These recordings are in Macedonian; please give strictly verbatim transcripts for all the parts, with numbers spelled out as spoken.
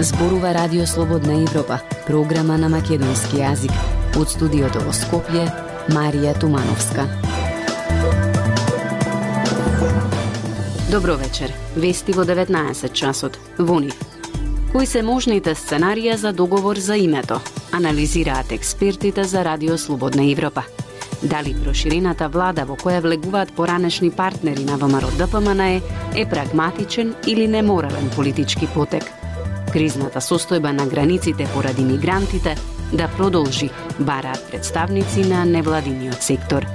Зборува Радио Слободна Европа, програма на македонски јазик. Од студиото во Скопје, Марија Тумановска. Добро вечер. Вести во деветнаесет часот. Во нив. Кои се можните сценарија за договор за името? Анализираат експертите за Радио Слободна Европа. Дали проширената влада во која влегуваат поранешни партнери на ВМРО-ДПМН е, е прагматичен или неморален политички потек? Кризната состојба на границите поради мигрантите да продолжи, бараат представници на невладиниот сектор.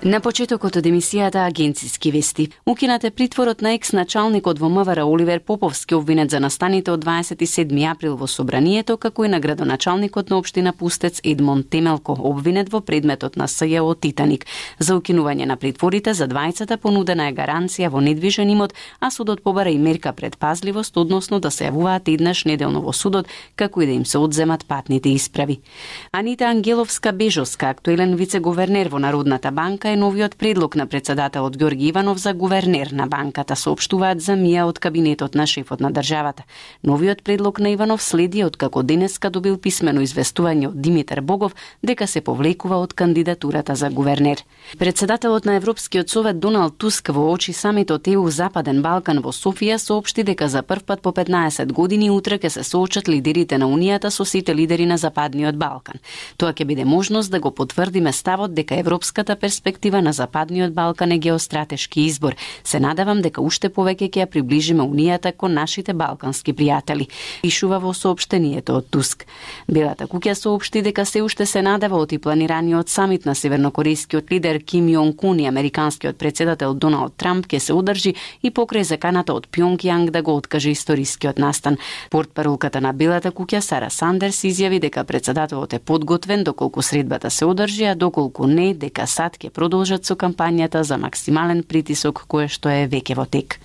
На почетокот од емисијата Агенциски вести, укинат е притворот на екс-началникот во МВР Оливер Поповски, обвинет за настаните од дваесет и седми април во собранието, како и на градоначалникот на општина Пустец Едмон Темелко, обвинет во предметот на СЈО Титаник. За укинување на притворите за двајцата понудена е гаранција во недвижен имот, а судот побара и мерка предпазливост, односно да се јавуваат еднаш неделно во судот, како и да им се одземат патните исправи. Анита Ангеловска-Бежовска, актуелен вице-гувернер во Народната банка, е новиот предлог на председателот Ѓорги Иванов за гувернер на банката, соопштуваат за МИА од кабинетот на шефот на државата. Новиот предлог на Иванов следи откако денеска добил писмено известување од Димитар Богов дека се повлекува од кандидатурата за гувернер. Председателот на Европскиот совет Доналд Туск во очи самитот Е У Западен Балкан во Софија соопшти дека за прв пат по петнаесет години утре ќе се соочат лидерите на Унијата со сите лидери на Западниот Балкан. Тоа ќе биде можност да го потврдиме ставот дека европската перспектива на Западниот Балкан е геостратешки избор. Се надевам дека уште повеќе ќе ја приближиме Унијата кон нашите балкански пријатели, пишува во соопштението од Туск. Белата куќа соопшти дека се уште се надева од и планираниот самит на севернокорејскиот лидер Ким Јонг Ун и американскиот председател Доналд Трамп ќе се одржи и покрај заканата од Пјонгјанг да го откаже историскиот настан. Портпаролката на Белата куќа Сара Сандерс изјави дека председателот е подготвен доколку средбата се одржи, а доколку не, дека САД ќе продолжат со кампањата за максимален притисок кој што е веќе во тек.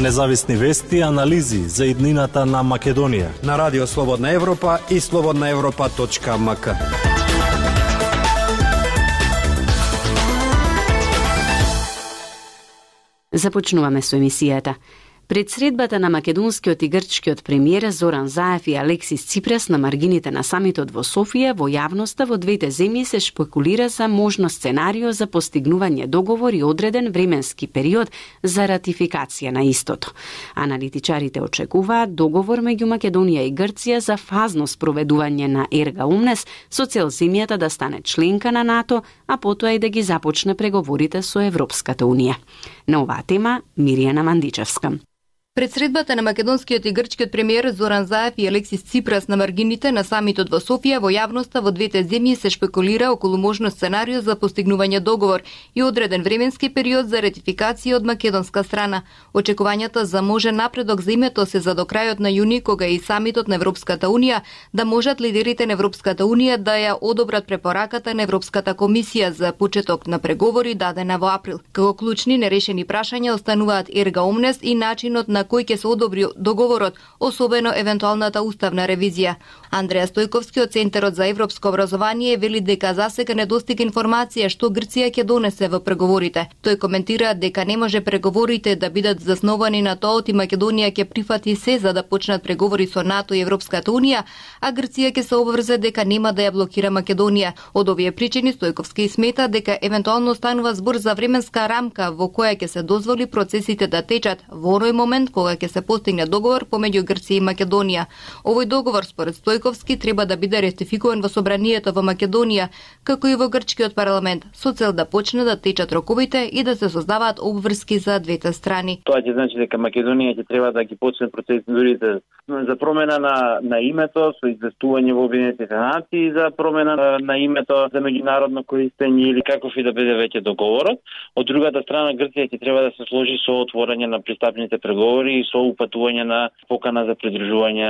Независни вести и анализи за иднината на Македонија на Радио Слободна Европа и слободна европа точка ем ка. Започнуваме со емисијата. Пред средбата на македонскиот и грчкиот премиер Зоран Заев и Алексис Ципрас на маргините на самитот во Софија, во јавноста во двете земји се шпекулира за можно сценарио за постигнување договор и одреден временски период за ратификација на истото. Аналитичарите очекуваат договор меѓу Македонија и Грција за фазно спроведување на Ерга Омнес со цел земјата да стане членка на НАТО, а потоа и да ги започне преговорите со Европската Унија. На оваа тема Миријана Мандичевска. Пред средбата на македонскиот и грчкиот премиер Зоран Заев и Алексис Ципрас на маргините на самитот во Софија, во јавноста во двете земји се шпекулира околу можно сценарио за постигнување договор и одреден временски период за ратификација од македонска страна. Очекувањата за можен напредок за името се за до крајот на јуни, кога и самитот на Европската Унија, да можат лидерите на Европската Унија да ја одобрат препораката на Европската комисија за почеток на преговори дадена во април. Како клучни нерешени прашања остануваат Ерга Омнес и начинот на кој ќе се одобри договорот, особено евентуалната уставна ревизија. Андреја Стојковски од Центарот за европско образование вели дека засега недостига информација што Грција ќе донесе во преговорите. Тој коментира дека не може преговорите да бидат засновани на тоа и Македонија ќе прифати се за да почнат преговори со НАТО и Европската Унија, а Грција ќе се обврзе дека нема да ја блокира Македонија. Од овие причини Стојковски смета дека евентуално станува збор за временска рамка во која ќе се дозволи процесите да течат во оној момент кога ќе се постигне договор помеѓу Грција и Македонија. Овој договор според Стојковски треба да биде ратификуван во собранието во Македонија, како и во грчкиот парламент, со цел да почне да течат роковите и да се создаваат обврски за двете страни. Тоа ќе значи дека Македонија ќе треба да ги почне процедурите за промена на на името со известување во Обединетите нации за промена на, на името за меѓународно користење или каков и да биде веќе договорот. Од другата страна Грција ќе треба да се сложи со отворање на пристапните преговори и со упатување на покана за придружување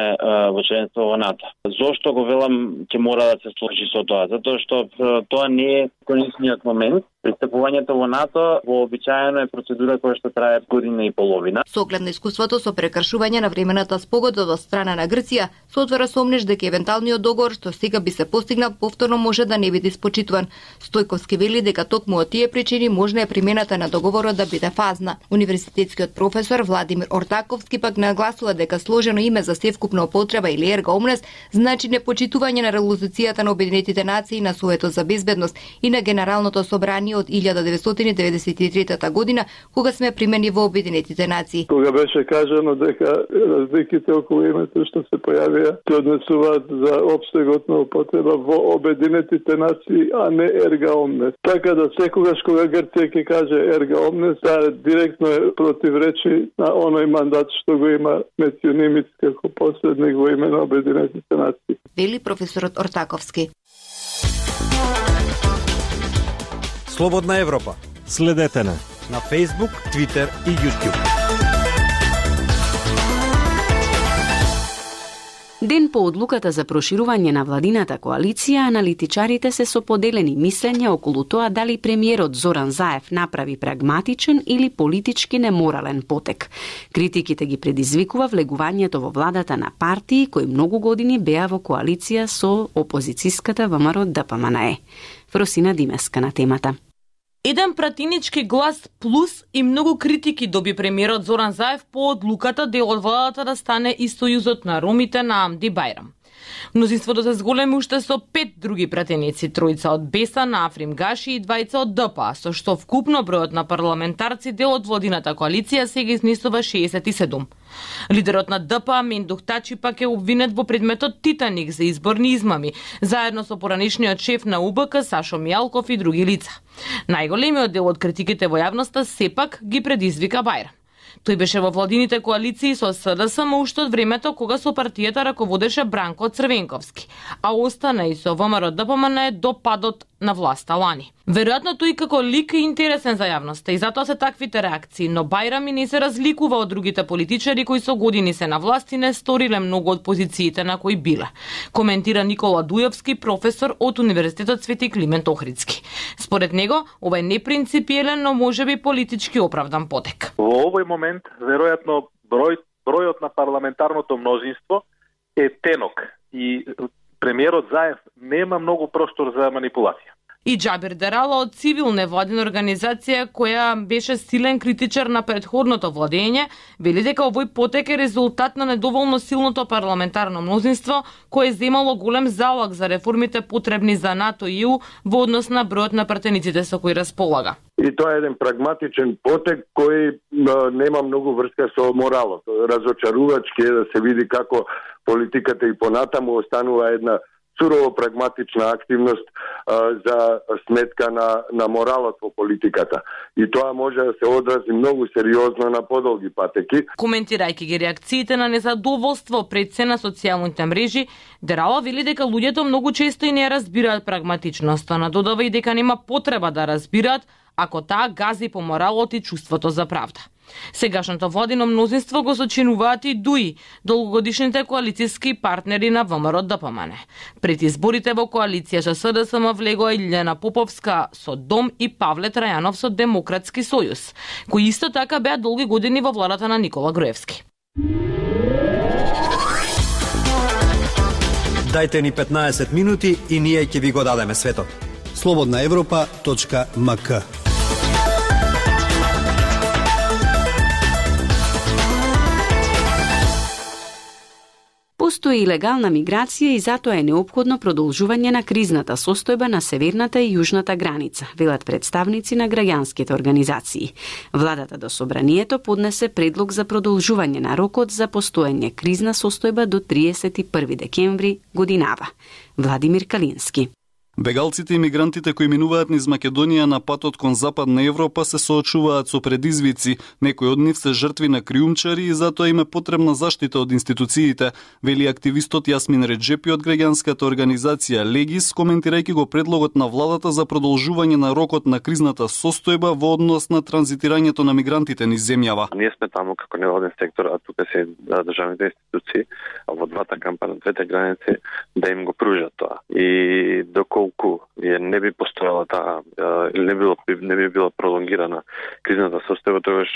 во членство во НАТО. Зошто го велам ќе мора да се сложи со тоа? Затоа што тоа не е конечниот момент Пристапувањето во НАТО вообичаено е процедура која што трае година и половина. Со оглед на искуството со прекршување на времената спогодба од страна на Грција, се отвора сомнеш дека евентуалниот договор што сега би се постигнал повторно може да не биде испочитуван. Стојковски вели дека токму од тие причини можна е примената на договорот да биде фазна. Универзитетскиот професор Владимир Ортаковски пак нагласува дека сложено име за севкупна употреба или ерга омнес значи непочитување на резолуцијата на Обединетите нации на Советот за безбедност и на Генералното собрание од илјада деветстотини деветдесет и трета година, кога сме примени во Обединетите нации. Кога беше кажано дека разликите околу името што се појавија се однесуваат за опсегот на употреба во Обединетите нации, а не ерга омнес. Така да секогаш кога Грција ќе каже ерга омнес, таа директно е противречи на оној мандат што го има Метју Нимиц како посредник во име на Обединетите нации. Вели професорот Ортаковски. Слободна Европа. Следете на на Facebook, Twitter и YouTube. Ден по одлуката за проширување на владината коалиција, аналитичарите се со поделени мислења околу тоа дали премиерот Зоран Заев направи прагматичен или политички неморален потек. Критиките ги предизвикува влегувањето во владата на партии кои многу години беа во коалиција со опозицијската ВМРО Д П М Н Е. Фросина Димеска на темата. Еден пратенички глас плюс и многу критики доби премиерот Зоран Заев по одлуката дел од владата да стане и сојузот на ромите на Амди Бајрам. Мнозинството се зголеми уште со пет други пратеници, тројца од Беса на Африм Гаши и двајца од Д П А, со што вкупно бројот на парламентарци дел од владината коалиција сега изнесува шеесет и седум. Лидерот на Д П А Мендух Тачи пак е обвинет во предметот Титаник за изборни измами, заедно со поранешниот шеф на У Б К Сашо Мијалков и други лица. Најголемиот дел од критиките во јавноста сепак ги предизвика Бајрам. Тој беше во владините коалиции со С Д С М уште од времето кога со партијата раководеше Бранко Црвенковски, а остана и со В М Р Д П М Н Е до падот на власта лани. Веројатно тој како лик е интересен за јавноста и затоа се таквите реакции, но Бајрам и не се разликува од другите политичари кои со години се на власт и не сториле многу од позициите на кои биле. Коментира Никола Дујовски, професор од Универзитетот Свети Климент Охридски. Според него, ова е непринципиелен, но можеби политички оправдан потек. Во овој момент, веројатно, број, бројот на парламентарното мнозинство е тенок и премиерот Заев нема многу простор за манипулација. И Џабир Дерала од цивил невладина организација која беше силен критичар на претходното владење, вели дека овој потек е резултат на недоволно силното парламентарно мнозинство кое земало голем залог за реформите потребни за НАТО и Е У во однос на бројот на пратениците со кои располага. И тоа е еден прагматичен потек кој нема многу врска со моралот. Разочарувачки е да се види како политиката и понатаму останува една сурово прагматична активност а, за сметка на, на моралот во политиката. И тоа може да се одрази многу сериозно на подолги патеки. Коментирајќи ги реакциите на незадоволство пред се на социјалните мрежи, Дерала вели дека луѓето многу често и не разбираат прагматичноста, надодава и дека нема потреба да разбираат ако таа гази по моралот и чувството за правда. Сегашното владино мнозинство го сочинуваат и ДУИ, долгогодишните коалициски партнери на В М Р Д П М Н Е. Пред изборите во коалиција со С Д С М влегоа Илјана Поповска со Дом и Павле Трајанов со Демократски сојуз, кои исто така беа долги години во владата на Никола Груевски. Дајте ни петнаесет минути и ние ќе ви го дадеме светот. слободна европа точка м к. Постои илегална миграција и затоа е неопходно продолжување на кризната состојба на северната и јужната граница, велат представници на граѓанските организации. Владата до Собранието поднесе предлог за продолжување на рокот за постоење кризна состојба до триесет и први декември годинава. Владимир Калински. Бегалците и мигрантите кои минуваат низ Македонија на патот кон Западна Европа се соочуваат со предизвици. Некои од нив се жртви на криумчари и затоа им е потребна заштита од институциите, вели активистот Јасмин Реджепи од граѓанската организација Легис, коментирајќи го предлогот на владата за продолжување на рокот на кризната состојба во однос на транзитирањето на мигрантите низ земјава. Ние сме таму како невладен сектор, а тука се државните институции, а во двата кампа на двете граници да им го пружат тоа. И доколку толку не би постојала таа или не било не би била пролонгирана кризната состојба, тогаш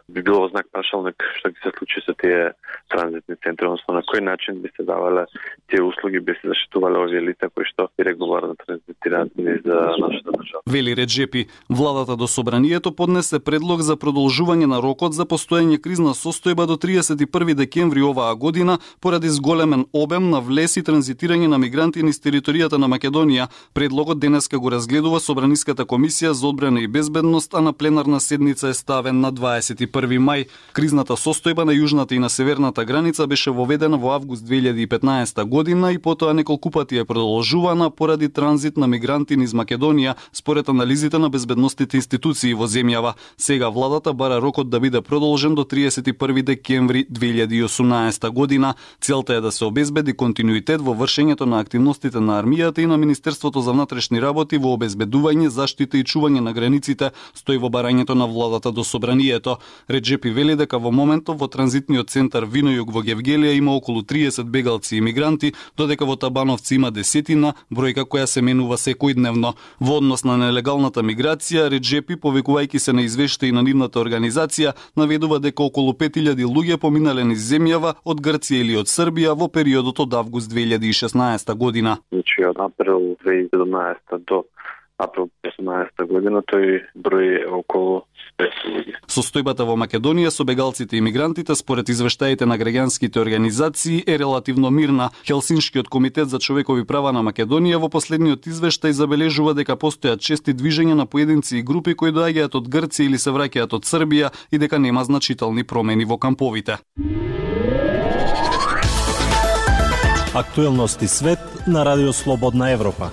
би било во знак прашалник што ќе се случи со тие транзитни центри, односно на кој начин би се давале тие услуги, би се заштитувале овие лица кои што регуларно транзитираат низ нашата држава. Вели Реджепи, владата до собранието поднесе предлог за продолжување на рокот за постоење кризна состојба до триесет и први декември оваа година поради зголемен обем на влез и транзитирање на мигранти низ територијата на Македонија. Предлогот денеска го разгледува Собраниската комисија за одбрана и безбедност, а на пленарна седница е ставен на дваесет и први мај. Кризната состојба на јужната и на северната граница беше воведена во август две илјади и петнаесета година и потоа неколку пати е продолжувана поради транзит на мигранти низ Македонија, според анализите на безбедносните институции во земјава. Сега владата бара рокот да биде продолжен до триесет и први декември две илјади и осумнаесета година. Целта е да се обезбеди континуитет во вршењето на активностите на армијата и на Министерството за внатрешни работи во обезбедување, заштита и чување на границите, стои во барањето на владата до собранието. Реджепи вели дека во моментов во транзитниот центар Винојуг во Гевгелија има околу триесет бегалци и мигранти, додека во Табановци има десетина, бројка која се менува секојдневно. Во однос на нелегалната миграција, Реджепи, повикувајќи се на извештаи на нивната организација, наведува дека околу пет илјади луѓе поминале низ земјава од Грција или од Србија во периодот од август две илјади и шеснаесета година. Значи од април две илјади и седумнаесета до април две илјади и осумнаесета година тој број е околу петстотини луѓе. Состојбата во Македонија со бегалците и мигрантите според извештаите на граѓанските организации е релативно мирна. Хелсиншкиот комитет за човекови права на Македонија во последниот извештај забележува дека постојат чести движења на поединци и групи кои доаѓаат од Грција или се враќаат од Србија и дека нема значителни промени во камповите. Актуелности свет на Радио Слободна Европа.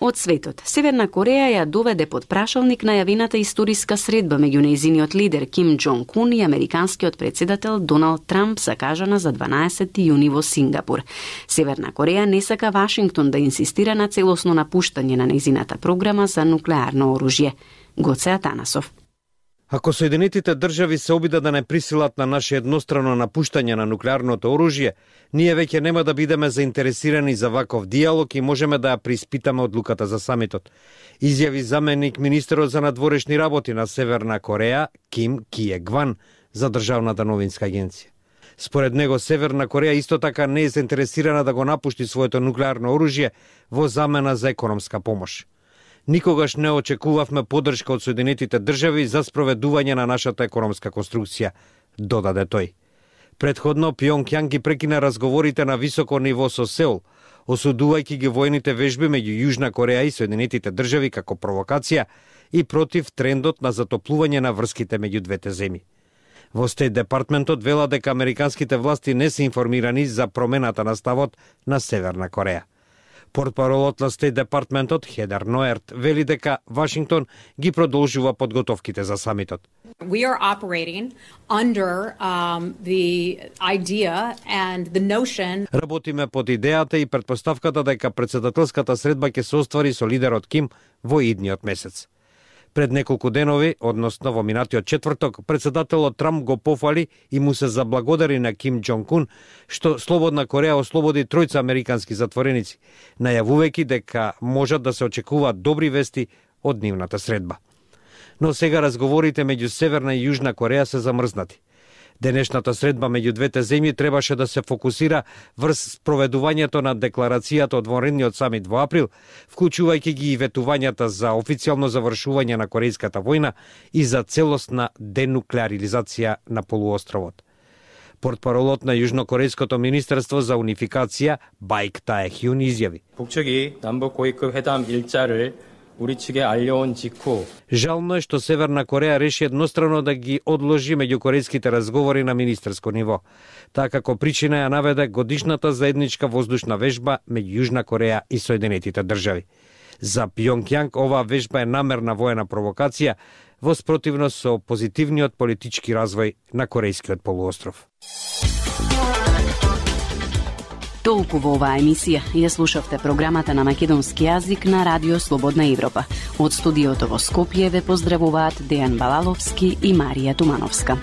Од светот, Северна Кореја ја доведе под прашалник најавената историска средба меѓу нејзиниот лидер Ким Џонг Ун и американскиот председател Доналд Трамп, закажана за дванаесети јуни во Сингапур. Северна Кореја не сака Вашингтон да инсистира на целосно напуштање на нејзината програма за нуклеарно оружје. Гоце Атанасов. Ако Соединетите држави се обидат да не присилат на наше еднострано напуштање на нуклеарното оружје, ние веќе нема да бидеме заинтересирани за ваков диалог и можеме да ја преиспитаме одлуката за самитот, изјави заменик министерот за надворешни работи на Северна Кореја Ким Кие Гван за државната новинска агенција. Според него, Северна Кореја исто така не е заинтересирана да го напушти своето нуклеарно оружје во замена за економска помош. Никогаш не очекувавме поддршка од Соединетите држави за спроведување на нашата економска конструкција, додаде тој. Предходно, Пјонкјанг ги прекина разговорите на високо ниво со Сеул, осудувајќи ги воените вежби меѓу Јужна Кореја и Соединетите држави како провокација и против трендот на затоплување на врските меѓу двете земји. Во Стейт Департментот вела дека американските власти не се информирани за промената на ставот на Северна Кореја. Портпаролот на Стейт Департментот Хедер Ноерт вели дека Вашингтон ги продолжува подготовките за самитот. We are operating under um, the idea and the notion. Работиме под идејата и претпоставката дека претседателската средба ќе се оствари со лидерот Ким во идниот месец. Пред неколку денови, односно во минатиот четврток, претседателот Трамп го пофали и му се заблагодари на Ким Џонг Ун што Слободна Кореја ослободи тројца американски затвореници, најавувајќи дека можат да се очекуваат добри вести од нивната средба. Но сега разговорите меѓу Северна и Јужна Кореја се замрзнати. Денешната средба меѓу двете земји требаше да се фокусира врз спроведувањето на декларацијата од вонредниот самит во април, вклучувајќи ги и ветувањата за официјално завршување на Корејската војна и за целосна денуклеаризација на полуостровот. Портпаролот на Јужнокорејското министерство за унификација Баик Таехјун изјави: 북측이 남북 고위급 회담 일자를 우리 측에 알려온 직후 Жално е што Северна Кореја реши еднострано да ги одложи меѓукорејските разговори на министерско ниво. Така како причина ја наведе годишната заедничка воздушна вежба меѓу Јужна Кореја и Соединетите држави. За Пјонкјанг оваа вежба е намерна воена провокација во спротивност со позитивниот политички развој на Корејскиот полуостров. Толку во оваа емисија. Ја слушавте програмата на македонски јазик на Радио Слободна Европа. Од студиото во Скопје ве поздравуваат Дејан Балаловски и Марија Тумановска.